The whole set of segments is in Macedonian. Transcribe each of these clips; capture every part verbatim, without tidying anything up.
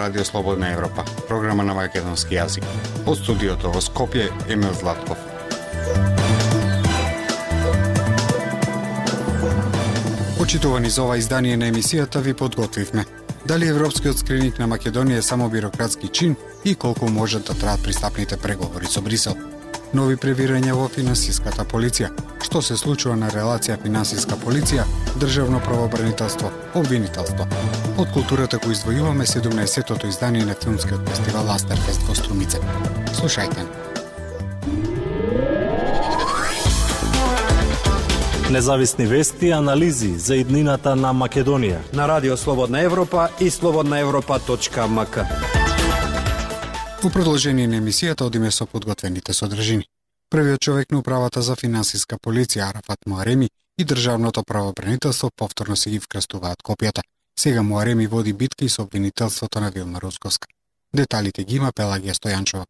Радио Слободна Европа, програма на македонски јазик. Од студиото во Скопје, Емил Златков. Почитувани за ова издание на емисијата ви подготвивме. Дали европскиот скрининг на Македонија е само бирократски чин и колку може да траат пристапните преговори со Брисел? Нови превирања во финансиската полиција. Што се случува на релација финансиска полиција, државно правообранителство, обвинителство. Од културата кој издвојуваме седумнаесеттото издание на филмскиот фестивал Астерфест во Струмице. Слушајте. Независни вести и анализи за иднината на Македонија на Радио Слободна Европа и слободна европа точка ем ка. Во продолжение на емисијата одиме со подготвените содржини. Првиот човек на управата за финансиска полиција Арафат Муареми и државното правообранителство повторно се ги вкрстуваат копијата. Сега Муареми води битки со обвинителството на Вилма Русковска. Деталите ги има Пелагија Стојанчова.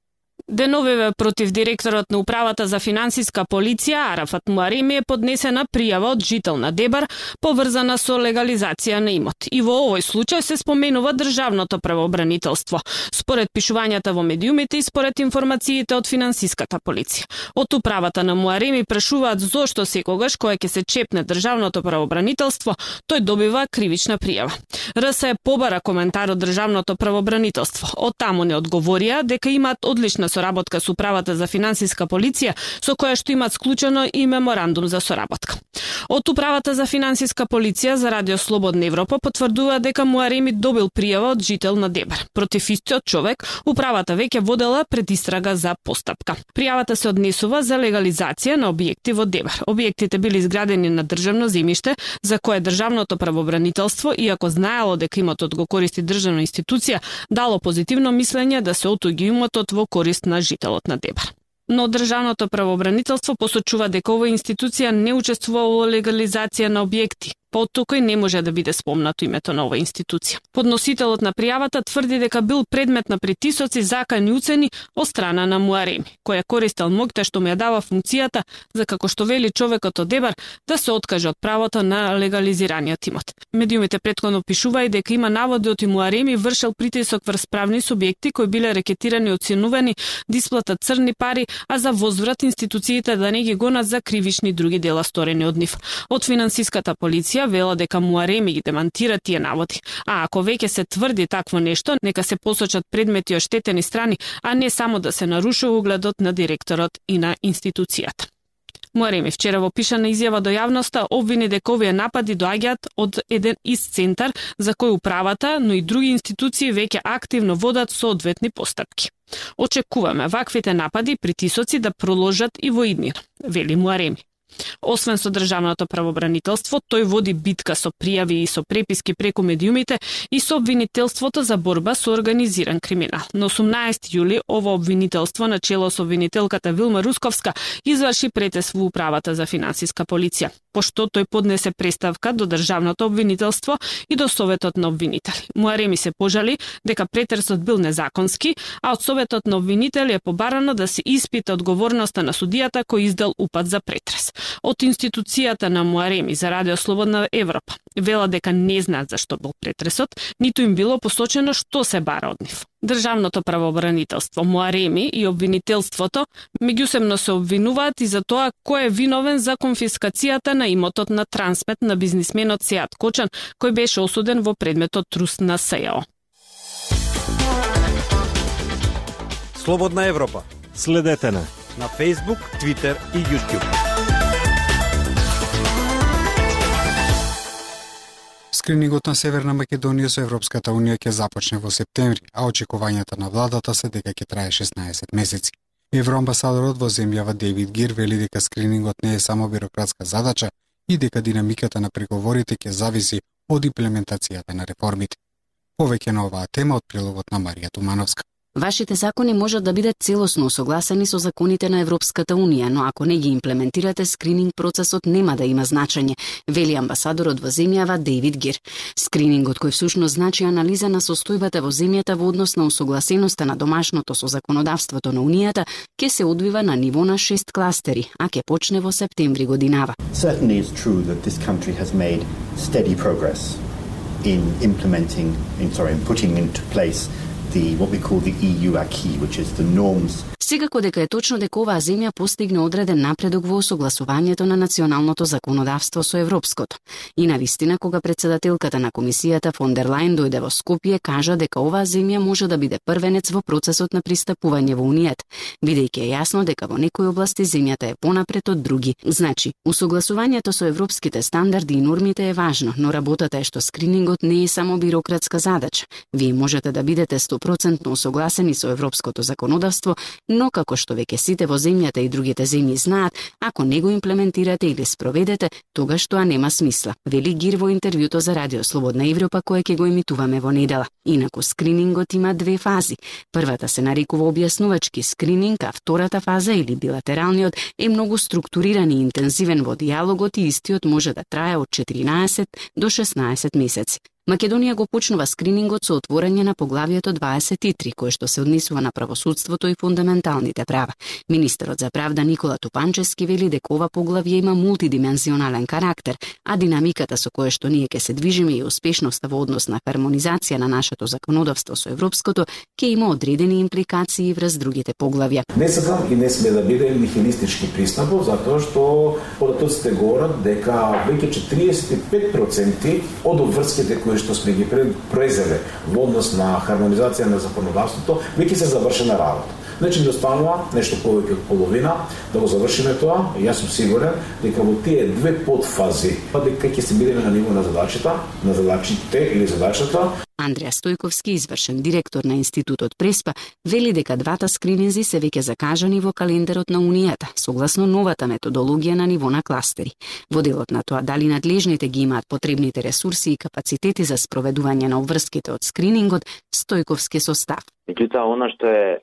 Деновиве против директорот на управата за финансиска полиција Арафат Муареми е поднесена пријава од жител на Дебар поврзана со легализација на имот. И во овој случај се споменува државното правообранителство, според пишувањата во медиумите и според информациите од финансиската полиција. Од управата на Муареми прашуваат зошто секогаш кога ќе се чепне државното правообранителство, тој добива кривична пријава. РС е побара коментар од државното правообранителство. Од таму не одговорија дека имаат одлична соработка со управата за финансиска полиција, со која што имаат склучено и меморандум за соработка. Од управата за финансиска полиција за Радио Слободна Европа потврдува дека Муареми добил пријава од жител на Дебар. Против истиот човек, управата веќе водела предистрага за постапка. Пријавата се однесува за легализација на објекти во Дебар. Објектите били изградени на државно земјиште, за кое државното правообранителство, иако знаело дека имотот го користи државна институција, дало позитивно мислење да се отуѓи имотот во корист на жителот на Дебар. Но државното правообранителство посочува дека оваа институција не учествува во легализација на објекти. Потокој не може да биде спомнато името на оваа институција. Подносителот на пријавата тврди дека бил предмет на притисоци, закани уцени од страна на Муареми, кој е користел моќта што му ја дава функцијата за, како што вели човекот од Дебар, да се откаже од правото на легализираниот имот. Медиумите претходно пишуваат дека има наводи од Муареми вршел притисок врз правни субјекти кои биле рекетирани и оценувани да исплатат црни пари, а за возврат институциите да не ги гонат за кривични други дела сторени од нив. Од финансиската полиција вела дека Муареми ги демантира тие наводи. А ако веќе се тврди такво нешто, нека се посочат предмети оштетени страни, а не само да се нарушува угледот на директорот и на институцијата. Муареми вчера во пишана изјава до јавноста обвини дека овие напади доаѓаат од еден ист центар за кој управата, но и други институции веќе активно водат соодветни постапки. Очекуваме ваквите напади и притисоци да продолжат и во иднина, вели Муареми. Освен со државното правообранителство, тој води битка со пријави и со преписки преку медиумите и со обвинителството за борба со организиран криминал. На осумнаесети јули ова обвинителство на чело со обвинителката Вилма Русковска изврши претес во управата за финансиска полиција, пошто тој поднесе преставка до државното обвинителство и до советот на обвинители. Муареми се пожали дека претресот бил незаконски, а од советот на обвинители е побарано да се испита одговорноста на судијата кој издал упат за претрес. Од институцијата на Муареми за Радио Слободна Европа вела дека не знаат зашто бил претресот, ниту им било посочено што се бара од нив. Државното правообранителство, Муареми и обвинителството меѓусебно се обвинуваат и за тоа кој е виновен за конфискацијата на имотот на Трансмет на бизнисменот Сеат Кочан, кој беше осуден во предметот труст на СЈО. Слободна Европа. Следете на на Facebook, Twitter и YouTube. Скринингот на Северна Македонија со Европската Унија ќе започне во септември, а очекувањата на владата се дека ќе трае шеснаесет месеци. Евроамбасадорот во земјава Дейвид Гир вели дека скринингот не е само бирократска задача и дека динамиката на преговорите ќе зависи од имплементацијата на реформите. Повеќе на оваа тема од прилогот на Марија Тумановска. Вашите закони можат да бидат целосно согласени со законите на Европската Унија, но ако не ги имплементирате, скрининг процесот нема да има значење, вели амбасадорот во земјава Дейвид Гир. Скринингот кој всушност значи анализа на состојбата во земјата во однос на усогласеноста на домашното со законодавството на Унијата ќе се одвива на ниво на шест кластери, а ќе почне во септември годинава. Certainly it's true that this country has made steady progress in implementing, in, sorry, in putting into place the what we call the E U acquis, which is the norms. Секако дека е точно дека оваа земја постигне одреден напредок во осогласувањето на националното законодавство со европското. И навистина, кога председателката на комисијата фон дер Лајен дојде во Скопје, кажа дека оваа земја може да биде првенец во процесот на пристапување во Унијата, бидејќи е јасно дека во некои области земјата е понапред од други. Значи, усогласувањето со европските стандарди и нормите е важно, но работата е што скринингот не е само бирократска задача. Вие можете да бидете сто проценти усогласени со европското законодавство, но како што веќе сите во земјата и другите земји знаат, ако не го имплементирате или спроведете, тогаш тоа нема смисла, вели Гир во интервјуто за Радио Слободна Европа кое ќе го емитуваме во недела. Инаку скринингот има две фази. Првата се нарекува објаснувачки скрининг, а втората фаза или билатералниот е многу структуриран и интензивен во диалогот и истиот може да трае од четиринаесет до шеснаесет месеци. Македонија го почнува скринингот со отворање на поглавието дваесет и три, кое што се однесува на правосудството и фундаменталните права. Министерот за правда Никола Тупанчевски вели дека ова поглавје има мултидимензионален карактер, а динамиката со која што ние ќе се движиме и успешноста во однос на хармонизација на нашето законодавство со европското ќе има одредени импликации врз другите поглавја. Не сакам и не сме да биде нихилистички пристапот, затоа што податоците говорат дека веќе четириесет и пет проценти од обврските кои што сме ги презеле во однос на хармонизација на законодавството, веќе се завршена работа. Значи да станува нешто повеќе од половина, да го завршиме тоа, и јас сум сигурен дека во тие две подфази, дека ќе се бидеме на ниво на задачата, на задачите или задачата. Андреа Стојковски, извршен директор на Институтот Преспа, вели дека двата скрининзи се веќе закажани во календарот на Унијата, согласно новата методологија на ниво на кластери. Во делот на тоа дали надлежните ги имаат потребните ресурси и капацитети за спроведување на обврските од скринингот, Стојковски состав. Меѓутоа, она што е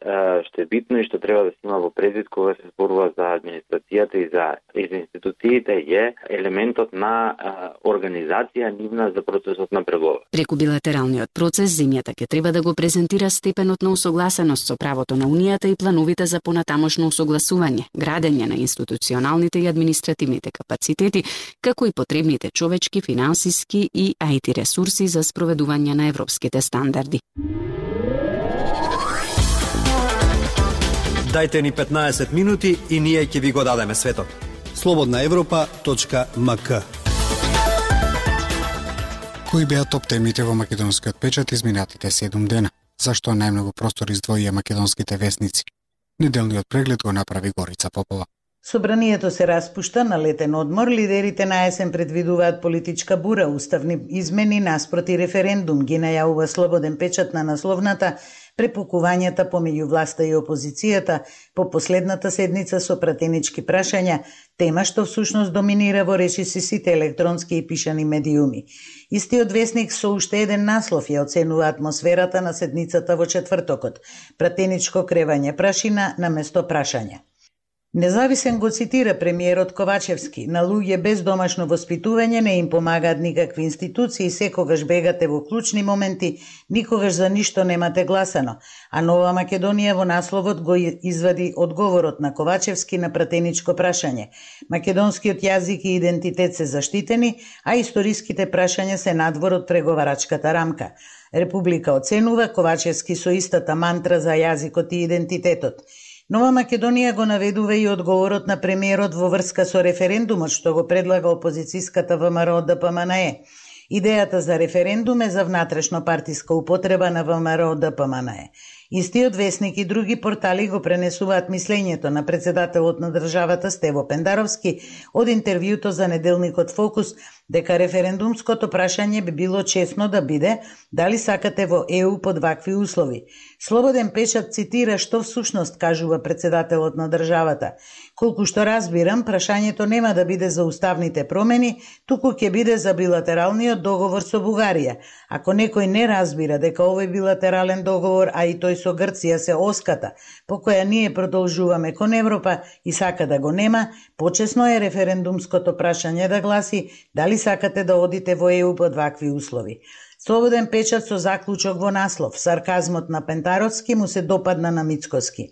што е битно и што треба да се има во предвид кога се зборува за администрацијата и за, и за институциите е елементот на а, организација нивна за процесот на преговор. Преку билатералниот процес земјата ќе треба да го презентира степенот на усогласеност со правото на Унијата и плановите за понатамошно усогласување, градење на институционалните и административните капацитети, како и потребните човечки, финансиски и ай ти ресурси за спроведување на европските стандарди. Дајте ни петнаесет минути и ние ќе ви го дадеме светот. слободна европа точка ем ка. Кои беа топ темите во македонскиот печат изминатите седум дена? Зашто најмногу простор издвоија македонските весници? Неделниот преглед го направи Горица Попова. Собранието се распушта на летен одмор, лидерите на есен предвидуваат политичка бура, уставни измени наспроти референдум, ги најавува Слободен печат на насловната препукувањата помеѓу власта и опозицијата по последната седница со пратенички прашања, тема што всушност доминира во речиси сите електронски и пишани медиуми. Истиот весник со уште еден наслов ја оценува атмосферата на седницата во четвртокот, пратеничко кревање прашина на место прашања. Независен го цитира премиерот Ковачевски: на луѓе без домашно воспитување не им помагаат никакви институции, секогаш бегате во клучни моменти, никогаш за ништо немате гласано. А Нова Македонија во насловот го извади одговорот на Ковачевски на пратеничко прашање. Македонскиот јазик и идентитет се заштитени, а историските прашања се надвор од преговарачката рамка. Република оценува Ковачевски со истата мантра за јазикот и идентитетот. Нова Македонија го наведува и одговорот на премиерот во врска со референдумот што го предлага опозицијската ВМРО Д П М Н Е. Идејата за референдум е за внатрешно партиска употреба на ВМРО Д П М Н Е. Истиот весник и други портали го пренесуваат мислењето на председателот на државата Стево Пендаровски од интервјуто за неделникот Фокус дека референдумското прашање би било честно да биде дали сакате во Е У под вакви услови. Слободен печат цитира што всушност кажува председателот на државата. Колку што разбирам, прашањето нема да биде за уставните промени, туку ќе биде за билатералниот договор со Бугарија. Ако некој не разбира дека овој билатерален договор, а и тој со Грција се оската, по која ние продолжуваме кон Европа и сака да го нема, почесно е референдумското прашање да гласи дали сакате да одите во Е У под вакви услови. Слободен печат со заклучок во наслов. Сарказмот на Пентаровски му се допадна на Мицкоски.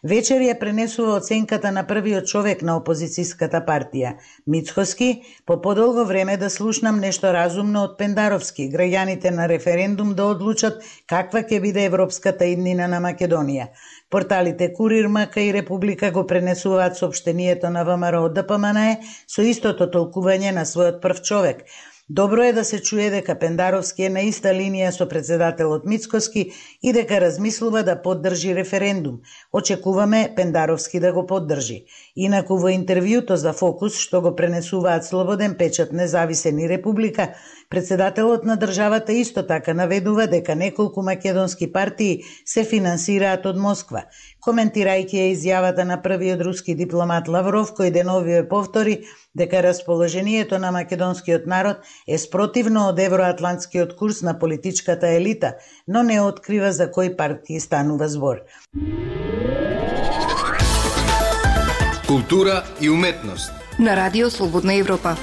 Вечер ја пренесува оценката на првиот човек на опозицијската партија. Мицкоски, по подолго време да слушнам нешто разумно од Пендаровски, граѓаните на референдум да одлучат каква ќе биде европската иднина на Македонија. Порталите Курир, МК и Република го пренесуваат соопштението на ВМРО ДПМНЕ со истото толкување на својот прв човек. Добро е да се чуе дека Пендаровски е на иста линија со председателот Мицкоски и дека размислува да поддржи референдум. Очекуваме Пендаровски да го поддржи. Инаку во интервјуто за Фокус, што го пренесуваат Слободен печат, Независен и Република, председателот на државата исто така наведува дека неколку македонски партии се финансираат од Москва. Коментирајќи ја изјавата на првиот руски дипломат Лавров, кој деновиве повтори дека расположението на македонскиот народ е спротивно од евроатлантскиот курс на политичката елита, но не открива за кои партии станува збор. Култура и уметност на Радио Слободна Европа.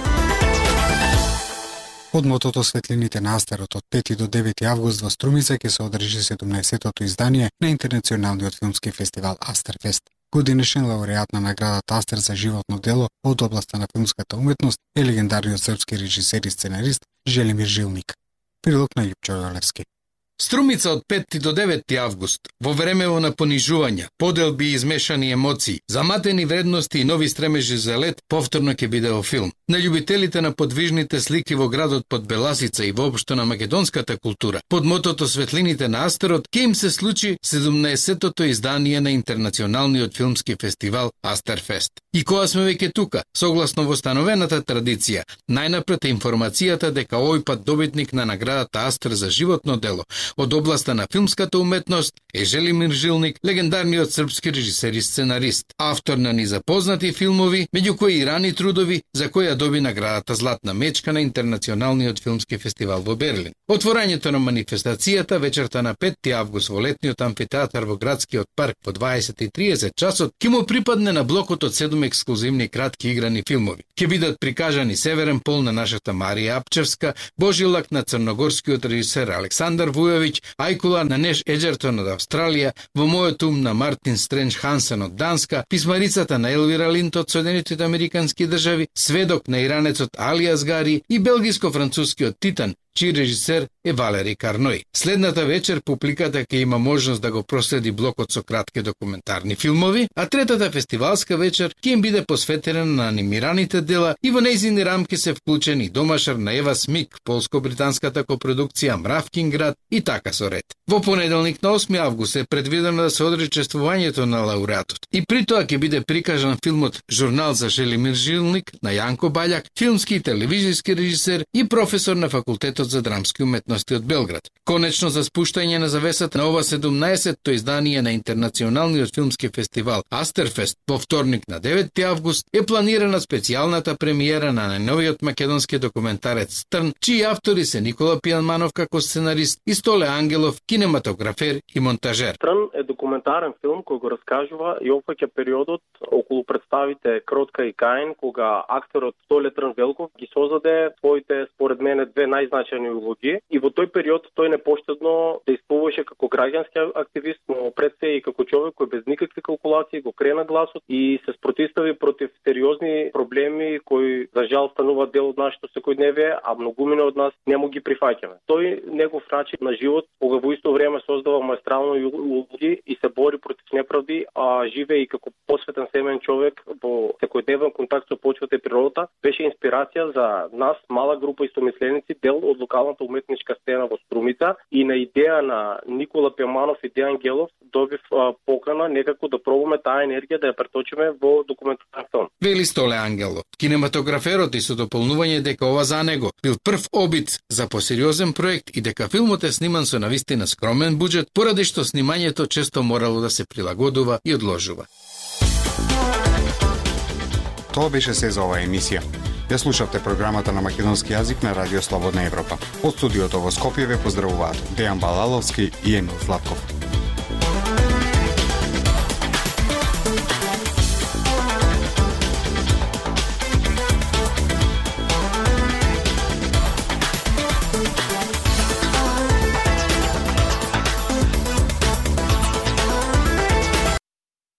Од мотото Светлините на Астерот од пети до девети август во Струмица ќе се одржи седумнаесеттото издание на Интернационалниот филмски фестивал Астерфест. Годинешен лауреат на наградата Астер за животно дело од областа на филмската уметност е легендарниот српски режисер и сценарист Желимир Жилник. Прилог на Јупчо Јолевски. Струмица од пети до девети август, во времево на понижувања, поделби и измешани емоции, заматени вредности и нови стремежи за лет, повторно ќе биде во филм. На љубителите на подвижните слики во градот под Беласица и воопшто на македонската култура, под мотото Светлините на Астерот, ќе им се случи седумнаесеттото издание на Интернационалниот филмски фестивал Астерфест. И кога сме веќе тука, согласно востановената традиција, најнапред е информацијата дека овој пат добитник на наградата Астер за животно дело од областа на филмската уметност е Желимир Жилник, легендарниот српски режисер и сценарист, автор на низапознати филмови, меѓу кои и рани трудови, за кои ја доби наградата Златна мечка на Интернационалниот филмски фестивал во Берлин. Отворањето на манифестацијата вечерта на пети август во летниот амфитеатар во градскиот парк во дваесет и триесет часот ќе му припадне на блокот од седум ексклузивни кратки играни филмови. Ќе бидат прикажани Северен пол на нашата Марија Апчевска, Божилак на црногорскиот режисер Александар Вујовиќ, Ајкула на Неш Еджертон од Австралија, Во мојот ум на Мартин Стрендж Хансен од Данска, Писмарицата на Елвира Линд од Соединетите Американски држави, Сведок на иранецот Али Азгари и белгиско-францускиот Титан, чиј режисер е Валери Карној. Следната вечер публиката ќе има можност да го проследи блокот со кратки документарни филмови, а третата фестивалска вечер ќе им биде посветена на анимираните дела и во нејзини рамки се вклучени домашар на Ева Смик, полско-британската копродукција Мравкин град и така со ред. Во понеделник на осми август е предвидено да се одржи чествувањето на лауреатот. И при тоа ќе биде прикажан филмот Журнал за Желимир Жилник на Јанко Баљак, филмски и телевизиски режисер и професор на факултетот за драмски уметности од Белград. Конечно за спуштање на завесата на ова седумнаесетто издание на Интернационалниот филмски фестивал Астерфест во вторник на девети август е планирана специјалната премиера на најновиот македонски документарец Стрн, чии автори се Никола Пијанманов како сценарист и Столе Ангелов, кинематографер и монтажер. Стрн е документарен филм кој го раскажува и опфаќа периодот околу представите Кротка и Каин, кога актерот Столе Трн Велков ги создаде своите, според мене, две најзначајни улоги и во тој период тој непоштедно действуваше како граѓански активист, но пред се и како човек кој без никакви калкулации го крена гласот и се спротистави против сериозни проблеми кои за жал стануваат дел од нашето секојдневие, а многумина од нас не му ги прифаќаме. Тој негов начин на живот, кога во исто време создава маестрално улоги и се бори против неправди, а живее и како посветен семен човек во секојдневен контакт со почвата и природата, беше инспирација за нас, мала група истомисленици, дел од локалната уметничка сцена во Струмица, и на идеја на Никола Пијанманов и Дејан Гелов добив а, покана некако да пробаме таа енергија да ја преточиме во документарен филм. Вели Столе Ангелов, кинематограферот, и со дополнување дека ова за него бил прв обид за посериозен проект и дека филмот е сниман со навистина скромен буџет, поради што снимањето често морало да се прилагодува и одложува. Тоа беше се за оваа емисија. Ја слушавте програмата на македонски јазик на Радио Слободна Европа. Од студиото во Скопје ве поздравуваат Дејан Балаловски и Емил Златков.